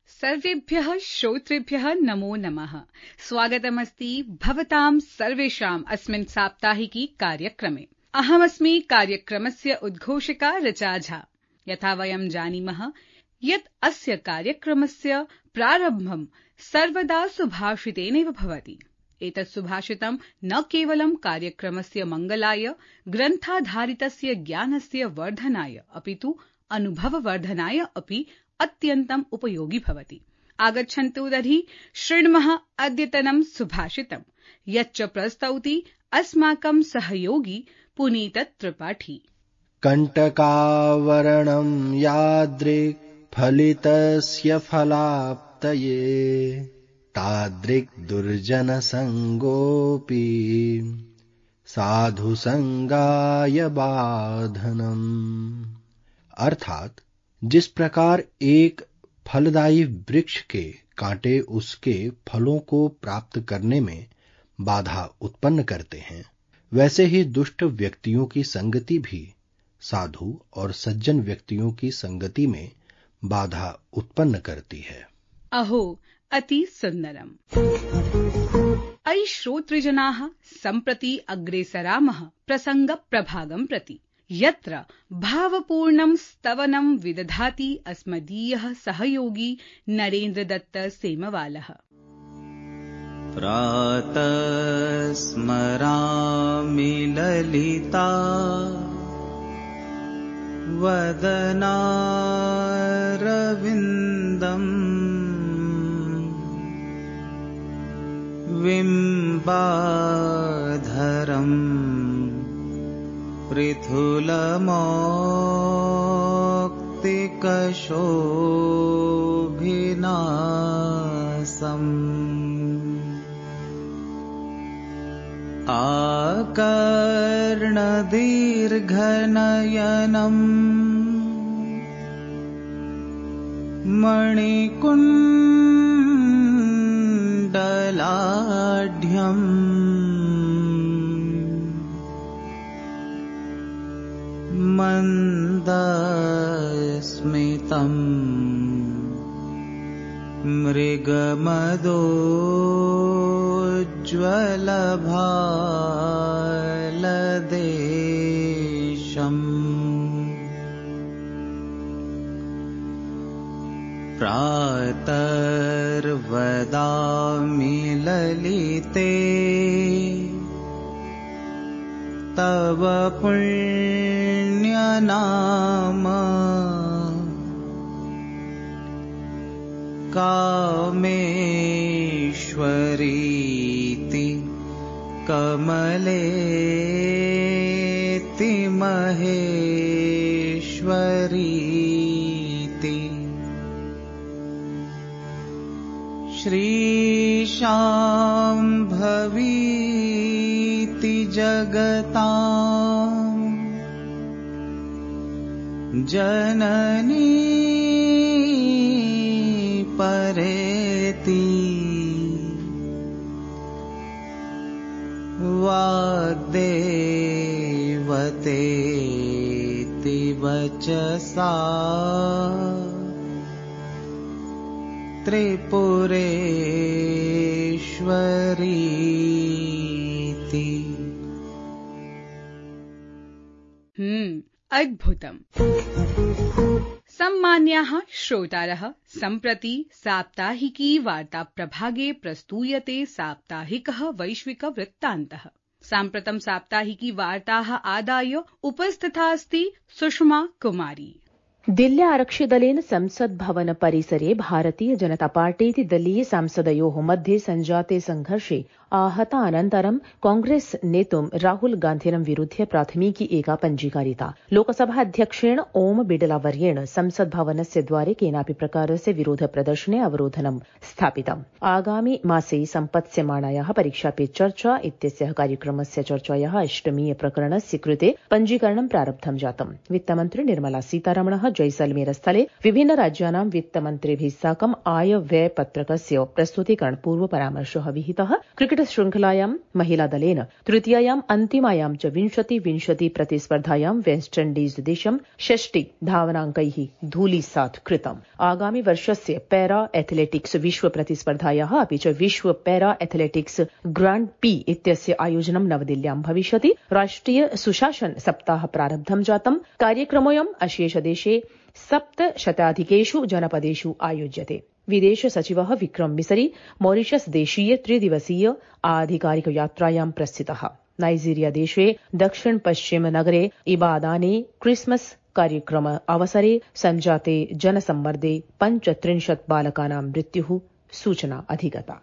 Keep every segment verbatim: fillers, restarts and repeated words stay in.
सर्वेभ्यः श्रोतृभ्यः नमो नमः। स्वागतमस्ति भवतां सर्वेषाम् अस्मिन् साप्ताहिकी कार्यक्रमे। अहमस्मि कार्यक्रमस्य उद्घोषका ऋचा झा। यथा वयं जानीमः यत् अस्य कार्यक्रमस्य प्रारम्भं सर्वदा सुभाषितेनैव भवति। एतत् सुभाषितं न केवलं कार्यक्रमस्य मङ्गलाय, ग्रन्थाधारितस्य ज्ञानस्य वर्धनाय, अपि तु अनुभववर्धनाय अपि अत्यन्तम् उपयोगी भवति। आगच्छन्तु तर्हि शृण्मः अद्यतनं सुभाषितं, यच्च प्रस्तौति अस्माकं सहयोगी पुनीत त्रिपाठी। कण्टकावरणं यादृक् फलितस्य फलाप्तये, तादृक् दुर्जनसङ्गोऽपि साधुसङ्गाय बाधनम्। अर्थात जिस प्रकार एक फलदायी वृक्ष के कांटे उसके फलों को प्राप्त करने में बाधा उत्पन्न करते हैं, वैसे ही दुष्ट व्यक्तियों की संगति भी साधु और सज्जन व्यक्तियों की संगति में बाधा उत्पन्न करती है। अहो अति सुंदरम। अयि श्रोतृजनाः, सम्प्रति अग्रेसरामः प्रसंग प्रभागं प्रति, यत्र भावपूर्णं स्तवनं विदधाति अस्मदीयः सहयोगी नरेन्द्र दत्त सेमवालः। प्रातः स्मरामि ललिता वदनारविन्दम्, बिम्बाधरम् पृथुलमौक्तिकशोभिनासम्, आकर्णदीर्घनयनम्, मणिकुण्डलाढ्यम्, मन्दस्मितम्, मृगमदोज्ज्वलभालदेशम्, प्रातर्वदामि ललिते तव पुण्यनाम, कामेश्वरीति कमलेति महेश्वरीति, श्रीशाम्भवीति जगताम् जननी परेति, वाग्देवतेति वचसा त्रिपुरेश्वरीति। हम्म अद्भुतम्। सम्मान्याः श्रोतारः, सम्प्रति साप्ताहिकी वार्ता प्रभागे प्रस्तूयते साप्ताहिकः वैश्विक वृत्तान्तः। साम्प्रतं साप्ताहिकी वार्ताः आदाय उपस्थिता अस्ति सुषमा कुमारी। दिल्ल्या आरक्षिदलेन संसद् भवन परिसरे भारतीय जनता पार्टीति दलीय सांसदयोः मध्ये सञ्जाते संघर्षे आहतानन्तरं कांग्रेस नेतुं राहुल गान्धिनं विरुध्य प्राथमिकी एका पञ्जीकारिता। लोकसभाध्यक्षेण ओम बिडला वर्येण संसद् भवनस्य द्वारे केनापि प्रकारस्य विरोध प्रदर्शने अवरोधनं स्थापितम्। आगामि मासे सम्पत्स्यमाणायाः परीक्षा पे चर्चा इत्यस्याः कार्यक्रमस्य चर्चायाः अष्टमीय प्रकरणस्य कृते पञ्जीकरणं प्रारब्धं जातम्। वित्तमन्त्री निर्मला सीतारमणः जैसलमेर स्थले विभिन्न राज्यानां वित्तमन्त्रिभिः साकम् आय व्यय पत्रकस्य प्रस्तुतीकरण पूर्व परामर्शः विहितः। क्रिकेट शृंखलायां महिलादलेन तृतीयायाम् अन्तिमायां च विंशति विंशति प्रतिस्पर्धायां वेस्ट इण्डीज देशं षष्टि धावनाङ्कैः धूलीसात् कृतम्। आगामि वर्षस्य पैरा एथलेटिक्स विश्व प्रतिस्पर्धायाः अपि च विश्व पैरा एथलेटिक्स ग्रांड पी इत्यस्य आयोजनं नवदिल्ल्यां भविष्यति। राष्ट्रिय सुशासन सप्ताह प्रारब्धं जातम्। कार्यक्रमोऽयम् अशेषदेशे सप्तशताधिकेषु जनपदेषु आयोज्यते। विदेश सचिवः विक्रम मिसरी मॉरिशस देशीय त्रिदिवसीय आधिकारिक यात्रायां प्रस्थितः। नाइजीरिया देशे दक्षिण पश्चिम नगरे इबादाने क्रिसमस कार्यक्रम अवसरे सञ्जाते जनसम्मर्दे पञ्चत्रिंशत् बालकानां मृत्युः सूचना अधिगता।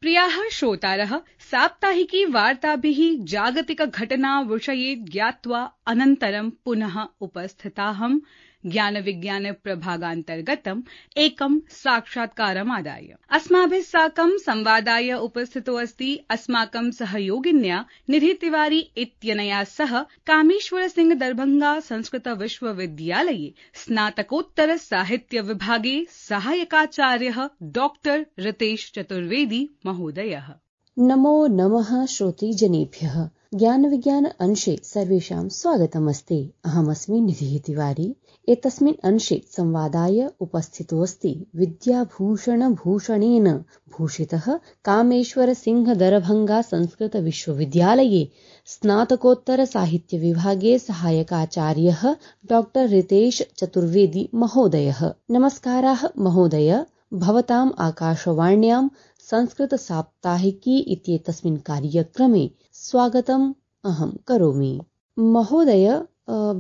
प्रियाः श्रोतारः, साप्ताहिकी वार्ताभिः जागतिक घटना विषये ज्ञात्वा अनन्तरं पुनः उपस्थिताहं ज्ञान विज्ञान प्रभागान्तर्गतम् एकं साक्षात्कारमादाय। अस्माभिः साकं संवादाय उपस्थितो अस्ति अस्माकं सहयोगिन्या निधि तिवारी इत्यनया सह कामेश्वर सिंह दरभंगा संस्कृत विश्वविद्यालये स्नातकोत्तर साहित्य विभागे सहायकाचार्यः डॉक्टर रितेश चतुर्वेदी महोदयः। नमो नमः श्रोतृजनेभ्यः। ज्ञान विज्ञान अंशे सर्वेषां स्वागतमस्ति। अहमस्मि निधिः तिवारी। एतस्मिन् अंशे संवादाय उपस्थितोऽस्ति विद्याभूषण भूषणेन भूषितः कामेश्वर सिंह दरभंगा संस्कृत विश्वविद्यालये स्नातकोत्तर साहित्य विभागे सहायकाचार्यः डॉक्टर रितेश चतुर्वेदी महोदयः। नमस्काराः महोदय। भवताम् आकाशवाण्यां संस्कृत साप्ताहिकी इत्येतस्मिन् कार्यक्रमे स्वागतम् अहं करोमि। महोदय,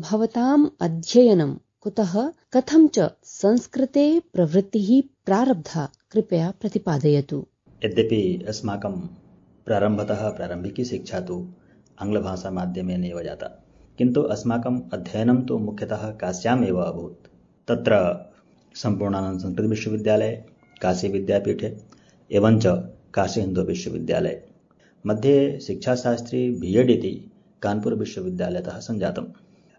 भवताम् अध्ययनं कुतः कथं च संस्कृते प्रवृत्तिः प्रारब्धा, कृपया प्रतिपादयतु। यद्यपि अस्माकं प्रारम्भतः प्रारम्भिकी शिक्षा तु आङ्ग्लभाषामाध्यमेन एव जाता, किन्तु अस्माकम् अध्ययनं तु मुख्यतः काश्याम् एव अभूत्। तत्र सम्पूर्णानन्द संस्कृत विश्वविद्यालये, काशी विद्यापीठे एवञ्च काशी हिन्दू विश्वविद्यालये मध्ये शिक्षाशास्त्री बी एड् इति कानपुर विश्वविद्यालयतः सञ्जातम्।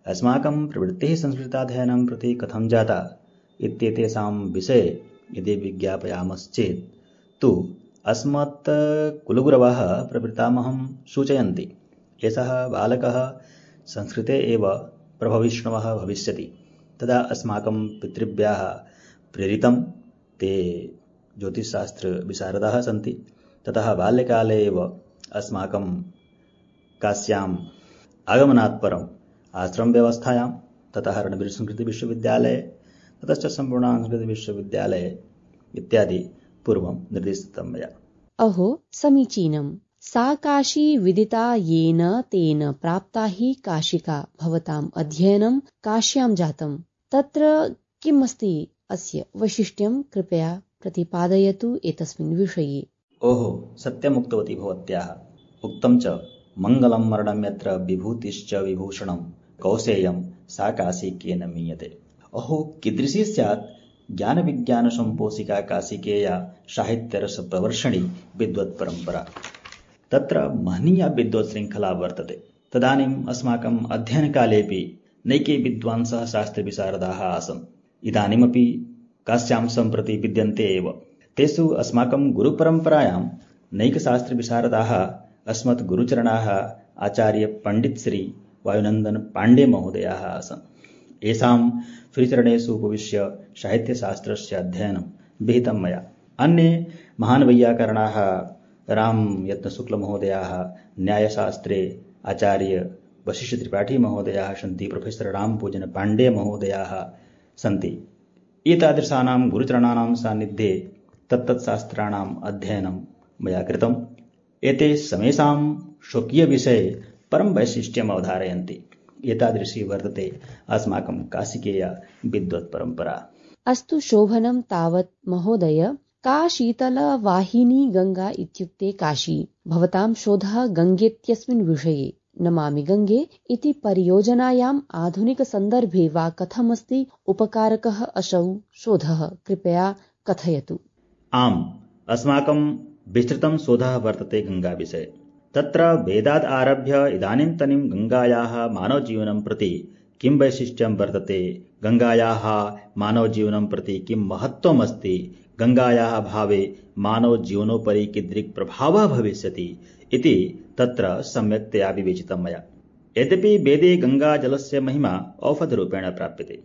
अस्माकं प्रवृत्तिः संस्कृताध्ययनं प्रति कथं जाता इत्येतेषां विषये यदि विज्ञापयामश्चेत् तु अस्मत् कुलगुरवः प्रपितामहं सूचयन्ति, एषः बालकः संस्कृते एव प्रभविष्णुः भविष्यति। तदा अस्माकं पितृभ्यः प्रेरितं, ते ज्योतिषशास्त्र विशारदाः सन्ति। ततः बाल्यकाले एव अस्माकं काश्याम् आगमनात् परम् आश्रम व्यवस्थायां, ततः रणवीर संस्कृत विश्वविद्यालये, ततश्च सम्पूर्ण संस्कृत विश्वविद्यालये इत्यादि पूर्वं निर्दिष्टं मया। अहो समीचीनम्। सा काशी विदिता येन तेन प्राप्ता हि काशिका। भवताम् अध्ययनं काश्यां जातम्। तत्र किम् अस्ति अस्य वैशिष्ट्यं, कृपया प्रतिपादयतु एतस्मिन् विषये। ओहो, सत्यमुक्तवती भवत्याः। उक्तं च मङ्गलं मरणं यत्र विभूतिश्च विभूषणं कौसेयं सा काशी केन मीयते। अहो, कीदृशी स्यात् ज्ञान विज्ञान सम्पोषिका काशिकेया साहित्यरस प्रवर्षणी विद्वत् परम्परा। तत्र महनीया विद्वत् श्रृङ्खला वर्तते। तदानीम् अस्माकम् अध्ययनकालेऽपि नैके विद्वांसः शास्त्रविशारदाः आसन्। इदानीमपि काश्यां सम्प्रति विद्यन्ते एव। तेषु अस्माकं गुरुपरम्परायां नैकशास्त्रविशारदाः अस्मत् गुरुचरणाः आचार्य पण्डित श्री वायुनन्दन पाण्डे महोदयाः आसन्। येषां श्रीचरणेषु उपविश्य साहित्यशास्त्रस्य अध्ययनं विहितं मया। अन्ये महान् वैयाकरणाः रामयत्नशुक्लमहोदयाः, न्यायशास्त्रे आचार्य वशिष्ठ त्रिपाठी महोदयाः सन्ति, प्रोफेसर रामपूजन पाण्डे महोदयाः सन्ति। एतादृशानां गुरुचरणानां सान्निध्ये तत्तत्शास्त्राणाम् अध्ययनं मया कृतम्। एते समेषां स्वकीयविषये परं वैशिष्ट्यम् अवधारयन्ति। एतादृशी वर्तते अस्माकं काशिकेया विद्वत् परम्परा। अस्तु शोभनं तावत् महोदय। का शीतलवाहिनी गङ्गा इत्युक्ते काशी। भवतां शोधः गङ्गेत्यस्मिन् विषये। नमामि गङ्गे इति परियोजनायाम् आधुनिकसन्दर्भे वा कथमस्ति उपकारकः असौ शोधः, कृपया कथयतु। आम्, अस्माकं विस्तृतं शोधः वर्तते गङ्गाविषये। तत्र वेदात् आरभ्य इदानीन्तनीं गङ्गायाः मानवजीवनं प्रति किं वैशिष्ट्यं वर्तते, गङ्गायाः मानवजीवनं प्रति किं महत्त्वम् अस्ति, गङ्गायाः भावे मानवजीवनोपरि कीदृक् प्रभावः भविष्यति इति तत्र सम्यक्तया विवेचितं मया। यद्यपि वेदे गङ्गाजलस्य महिमा औषधरूपेण प्राप्यते।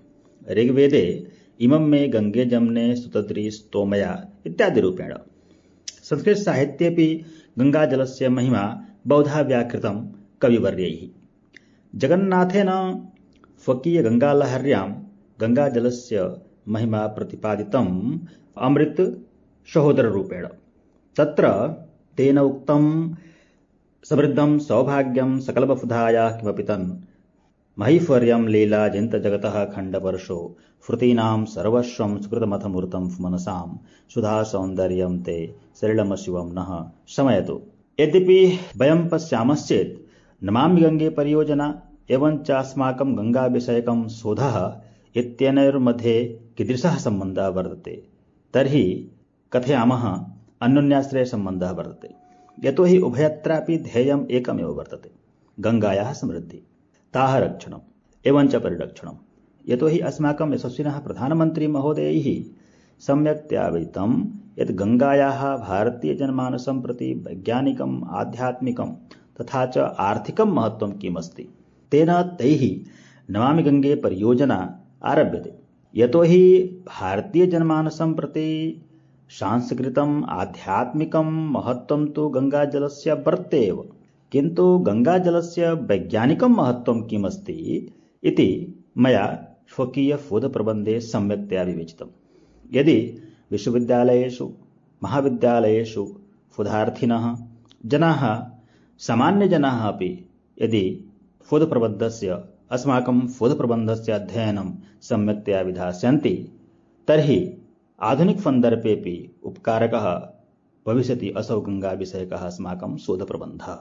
ऋग्वेदे इमं मे गङ्गे जम्ने स्तुतद्रि स्तोमया इत्यादि रूपेण। संस्कृतसाहित्येऽपि गङ्गाजलस्य महिमा बहुधा व्याकृतं कविवर्यैः। जगन्नाथेन स्वकीयगङ्गालहर्यां गङ्गाजलस्य महिमा प्रतिपादितम् अमृत सहोदररूपेण। तत्र तेन उक्तं समृद्धं सौभाग्यं सकलबहुधायाः किमपि तन् महीश्वर्यं लीला जिन्त जगतः खण्डवर्षो श्रुतीनां सर्वस्वं सुकृतमथमूर्तं मनसां सुधा सौन्दर्यं ते सलिलमशिवं नः शमयतु। यद्यपि वयं पश्यामश्चेत् नमामि गङ्गे परियोजना एवञ्च अस्माकं गङ्गाविषयकं शोधः इत्यनयोर्मध्ये कीदृशः सम्बन्धः वर्तते, तर्हि कथयामः अन्योन्याश्रयसम्बन्धः वर्तते। यतोहि उभयत्रापि ध्येयम् एकमेव वर्तते, गङ्गायाः समृद्धिः, ताः रक्षणम् एवञ्च परिरक्षणम्। यतोहि अस्माकं यशस्विनः प्रधानमन्त्री महोदयैः सम्यक्तया विदितं यत् गङ्गायाः भारतीयजनमानसं प्रति वैज्ञानिकम् आध्यात्मिकं तथा च आर्थिकं महत्त्वं किमस्ति। तेन तैः नमामि गङ्गे परियोजना आरभ्यते। यतोहि भारतीयजनमानसं प्रति सांस्कृतिकम् आध्यात्मिकं महत्त्वं तु गङ्गाजलस्य वर्तते एव, किन्तु गङ्गाजलस्य वैज्ञानिकं महत्त्वं किमस्ति इति मया स्वकीयशोधप्रबन्धे सम्यक्तया विवेचितम्। यदि विश्वविद्यालयेषु महाविद्यालयेषु शोधार्थिनः जनाः सामान्यजनाः अपि यदि शोधप्रबन्धस्य अस्माकं शोधप्रबन्धस्य अध्ययनं सम्यक्तया विधास्यन्ति तर्हि आधुनिकसन्दर्भेऽपि उपकारकः भविष्यति असौ गङ्गाविषयकः अस्माकं शोधप्रबन्धः।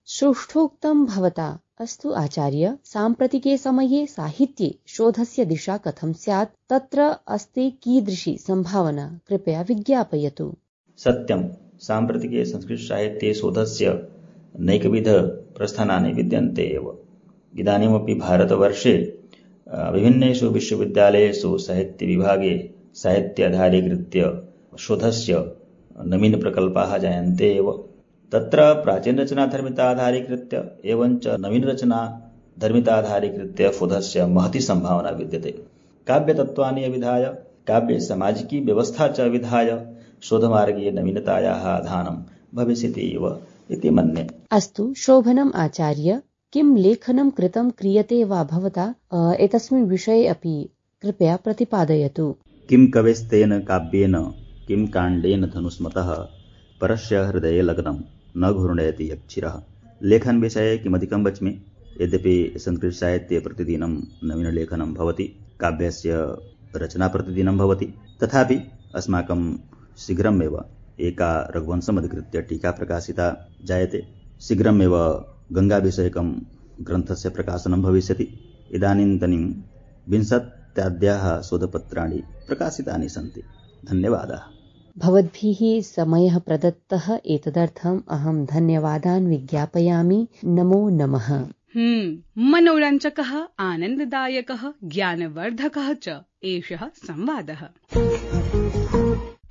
श्रेष्ठोक्तं भवता। अस्तु आचार्य, साम्प्रतिके समये साहित्ये शोधस्य दिशा कथं स्यात्, तत्र अस्ति कीदृशी सम्भावना, कृपया विज्ञापयतु। सत्यं, साम्प्रतिके संस्कृतसाहित्ये शोधस्य नैकविध प्रस्थानानि विद्यन्ते एव। इदानीमपि भारतवर्षे विभिन्नेषु विश्वविद्यालयेषु साहित्यविभागे साहित्याधारीकृत्य शोधस्य नवीनप्रकल्पाः जायन्ते एव। तत्र प्राचीनरचनाधर्मिताधारीकृत्य एवञ्च नवीनरचनाधर्मिताधारीकृत्य शोधस्य महती सम्भावना विद्यते। काव्यतत्त्वानि अविधाय, काव्यसामाजिकी व्यवस्था च अविधाय शोधमार्गे नवीनतायाः आधानं भविष्यति एव इति मन्ये। अस्तु, शोभनम् आचार्य। किं लेखनं कृतं क्रियते वा भवता एतस्मिन् विषये अपि कृपया प्रतिपादयतु। किं कवेस्तेन काव्येन किं काण्डेन धनुष्मतः परस्य हृदये लग्नं न घूर्णयति यक्षिरः। लेखन विषये किमधिकं वच्मि। यद्यपि संस्कृतसाहित्ये प्रतिदिनं नवीनलेखनं भवति, काव्यस्य रचना प्रतिदिनं भवति, तथापि अस्माकं शीघ्रमेव एका रघुवंशम् अधिकृत्य टीका प्रकाशिता जायते। शीघ्रमेव गङ्गाविषयकं ग्रन्थस्य प्रकाशनं भविष्यति। इदानीन्तनीं विंशत्याद्याः शोधपत्राणि प्रकाशितानि सन्ति। धन्यवादाः। भवद्भिः समयः प्रदत्तः, एतदर्थम् अहं धन्यवादान् विज्ञापयामि। नमो नमः। हम्म मनोरञ्जकः, आनन्ददायकः, ज्ञानवर्धकः च एषः संवादः।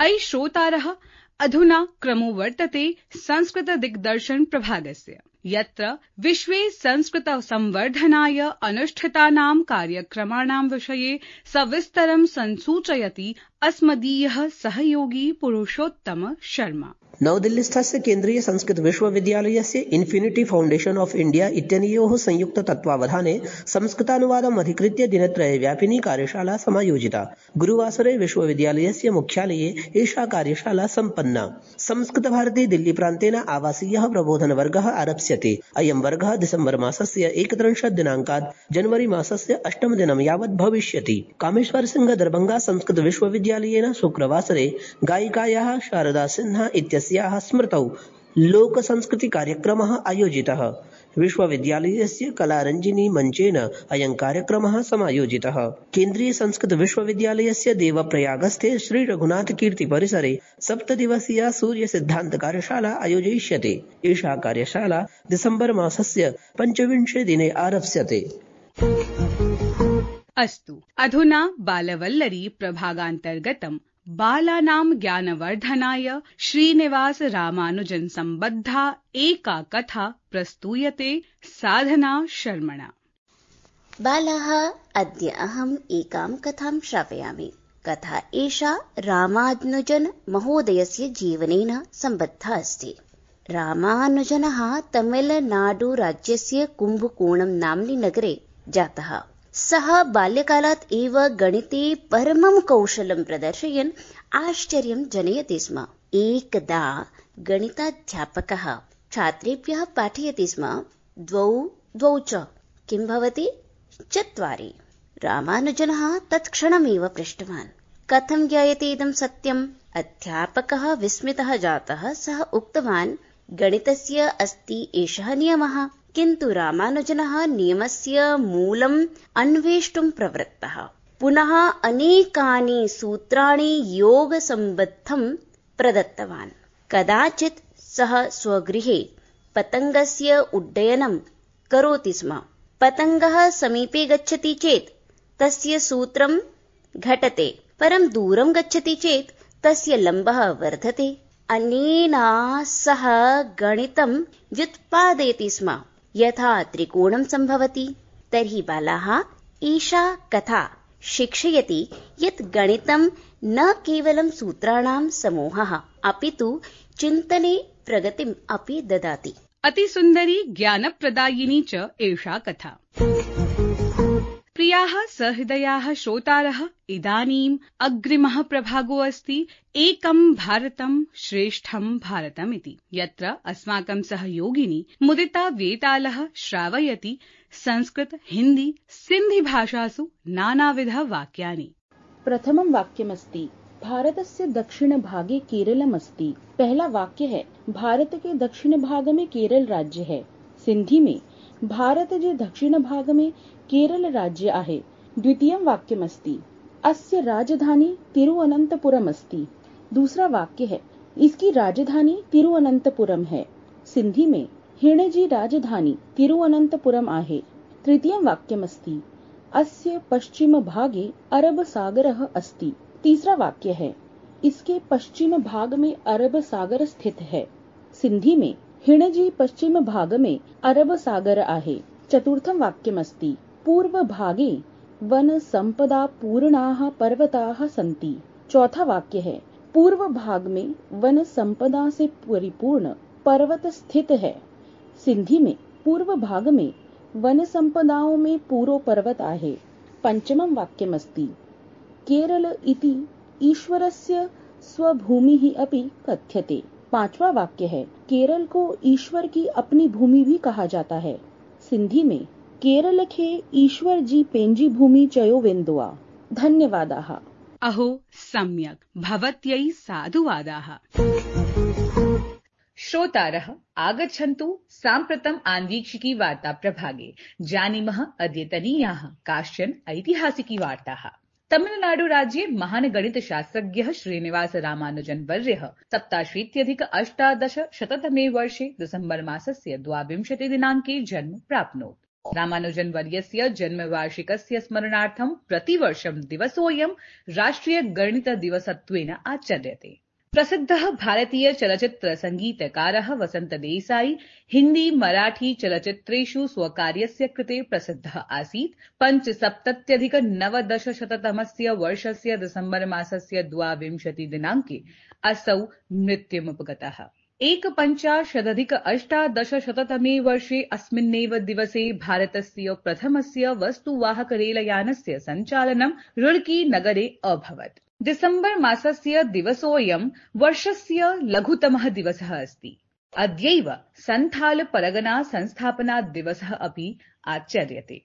अयि श्रोतारः, अधुना क्रमो वर्तते संस्कृत दिग्दर्शन प्रभागस्य, यत्र विश्वे संस्कृत संवर्धनाय अनुष्ठितानां कार्यक्रमाणां विषये सविस्तरं संसूचयति अस्मदीयः सहयोगी पुरुषोत्तम शर्मा। नवदिल्लीस्थस्य केन्द्रीय संस्कृत विश्वविद्यालयस्य इन्फिनिटी फाउण्डेशन ऑफ इंडिया इत्यनयोः संयुक्त तत्त्वावधाने संस्कृतानुवादम् अधिकृत्य दिनत्रयव्यापिनी कार्यशाला समायोजिता। गुरुवासरे विश्वविद्यालयस्य मुख्यालये एषा कार्यशाला सम्पन्ना। संस्कृतभारती दिल्ली प्रान्तेन आवासीयः प्रबोधनवर्गः आरप्स्यते। अयं वर्गः दिसम्बर मासस्य एकत्रिंशत् दिनाङ्कात् जनवरी मासस्य अष्टम दिनं यावत् भविष्यति। कामेश्वर सिंह दरभंगा संस्कृत विश्वविद्यालयेन शुक्रवासरे गायिकायाः शारदा सिन्हा इत्यस्याः स्मृतौ लोकसंस्कृति कार्यक्रमः आयोजितः। विश्वविद्यालयस्य कलारञ्जिनी मञ्चेन अयं कार्यक्रमः समायोजितः। केन्द्रीय संस्कृत विश्वविद्यालयस्य देवप्रयागस्थे श्री रघुनाथ कीर्ति परिसरे सप्तदिवसीया सूर्य सिद्धान्त कार्यशाला आयोजयिष्यते। एषा कार्यशाला दिसम्बर मासस्य पञ्चविंशे दिने आरप्स्यते। अस्तु, अधुना बालवल्लरी प्रभागान्तर्गतं बालानां ज्ञानवर्धनाय श्रीनिवास रामानुजन सम्बद्धा एका कथा प्रस्तूयते साधना शर्मणा। बालाः, अद्य अहम् एकां कथां श्रावयामि। कथा एषा रामानुजन महोदयस्य जीवनेन सम्बद्धा अस्ति। रामानुजनः तमिलनाडुराज्यस्य कुम्भकोणं नाम्नि नगरे जातः। सः बाल्यकालात् एव गणिते परमं कौशलं प्रदर्शयन् आश्चर्यं जनयति स्म। एकदा गणिताध्यापकः छात्रेभ्यः पाठयति स्म। द्वौ द्वौ च किं भवति? चत्वारि। रामानुजनः तत्क्षणमेव पृष्टवान्, कथं ज्ञायते इदं सत्यम्? अध्यापकः विस्मितः जातः। सः उक्तवान्, गणितस्य अस्ति एषः नियमः। किन्तु रामानुजनः नियमस्य मूलम् अन्वेष्टुं प्रवृत्तः। पुनः अनेकानि सूत्राणि योगसम्बद्धं प्रदत्तवान्। कदाचित् सः स्वगृहे पतङ्गस्य उड्डयनं करोति स्म। पतङ्गः समीपे गच्छति चेत् तस्य सूत्रं घटते, परं दूरं गच्छति चेत् तस्य लम्बः वर्धते। अनेन सः गणितं व्युत्पादयति स्म, यथा त्रिकोणं सम्भवति। तर्हि बालाः, एषा कथा शिक्षयति यत् गणितं न केवलं सूत्राणां समूहः, अपि तु चिन्तने प्रगतिम् अपि ददाति। अतिसुन्दरी ज्ञानप्रदायिनी च एषा कथा। प्रियाः सहृदयाः श्रोतारः, इदानीम् अग्रिमः प्रभागो अस्ति एकं भारतं श्रेष्ठं भारतम् इति, यत्र अस्माकं सहयोगिनी मुदिता वेतालः श्रावयति संस्कृत, हिन्दी, सिन्धी भाषासु नानाविध वाक्यानि। प्रथमं वाक्यमस्ति, भारतस्य दक्षिणभागे केरलमस्ति। पहला वाक्य है, भारत के दक्षिण भाग में केरल राज्य है। सिंधी में, भारत जे दक्षिण भाग में केरल राज्य आहे। द्वितीयं वाक्यमस्ति, अस्य राजधानी तिरुवनंतपुरम अस्ति। दूसरा वाक्य है, इसकी राजधानी तिरुवनंतपुरम है। सिंधी में, हिणजी राजधानी तिरुवनंतपुरम आहे। तृतीयं वाक्यमस्ति, अस्य पश्चिम भागे अरब सागरः अस्ति। तीसरा वाक्य है, इसके पश्चिम भाग में अरब सागर स्थित है। सिंधी में, हिणजी पश्चिम भाग में अरब सागर आहे। चतुर्थं वाक्यमस्ति, पूर्व भागे वन संपदा पूर्णाः पर्वताः सन्ति। चौथा वाक्य है, पूर्व भाग में वन संपदा से परिपूर्ण पर्वत स्थित है। सिंधी में, पूर्व भाग में वन संपदाओं में पूरो पर्वत आहे। पंचमं वाक्यमस्ति, केरल इति ईश्वरस्य स्वभूमिः अपि कथ्यते। पांचवा वाक्य है, केरल को ईश्वर की अपनी भूमि भी कहा जाता है। सिंधी में, केरल खे ईश्वर जी पेंजी भूमि चयो वेन्दुआ। धन्यवादाः। अहो सम्यक्, भवत्यै साधुवादाः। श्रोतारः, आगच्छन्तु साम्प्रतम् आन्वीक्षिकी वार्ता प्रभागे। जानीमः अद्यतनीयाः काश्चन ऐतिहासिकी वार्ताः। तमिलनाडु राज्ये महान् गणितशास्त्रज्ञः श्रीनिवास रामानुजन वर्यः सप्ताशीत्यधिक अष्टादश शततमे वर्षे दिसम्बर मासस्य द्वाविंशति दिनाङ्के जन्म प्राप्नोत्। रामानुजन वर्यस्य जन्मवार्षिकस्य स्मरणार्थं प्रतिवर्षं दिवसोऽयं राष्ट्रिय गणित दिवसत्वेन आचर्यते। प्रसिद्धः भारतीय चलच्चित्र संगीतकारः वसंत देसाई हिन्दी मराठी चलच्चित्रेषु स्वकार्यस्य कृते प्रसिद्धः आसीत्। पञ्चसप्तत्यधिक नवदशशततमस्य वर्षस्य दिसम्बर मासस्य द्वाविंशति दिनाङ्के असौ मृत्युमुपगतः। एकपञ्चाशदधिक अष्टादशशततमे वर्षे अस्मिन्नेव दिवसे भारतस्य प्रथमस्य वस्तुवाहक रेलयानस्य सञ्चालनं रुड़की नगरे अभवत्। दिसम्बर मासस्य दिवसोऽयं वर्षस्य लघुतमः दिवसः अस्ति। अद्यैव संथाल परगना संस्थापना दिवसः अपि आचर्यते।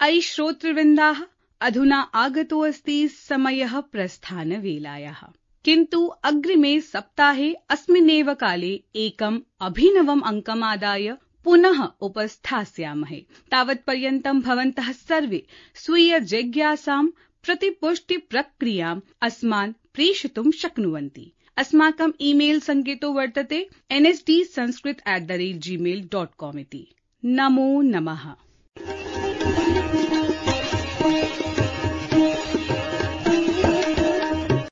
अयि श्रोतृवृन्दाः, अधुना आगतो अस्ति समयः प्रस्थानवेलायाः। किन्तु अग्रिमे सप्ताहे अस्मिन्नेव काले एकम् अभिनवम् अङ्कमादाय पुनः उपस्थास्यामहे। तावत्पर्यन्तं भवन्तः सर्वे स्वीय जिज्ञासां प्रतिपुष्टि प्रक्रियाम् अस्मान् प्रेषितुं शक्नुवन्ति। अस्माकम् ईमेल सङ्केतो वर्तते N S D Sanskrit at the rate Gmail dot com इति। नमो नमः।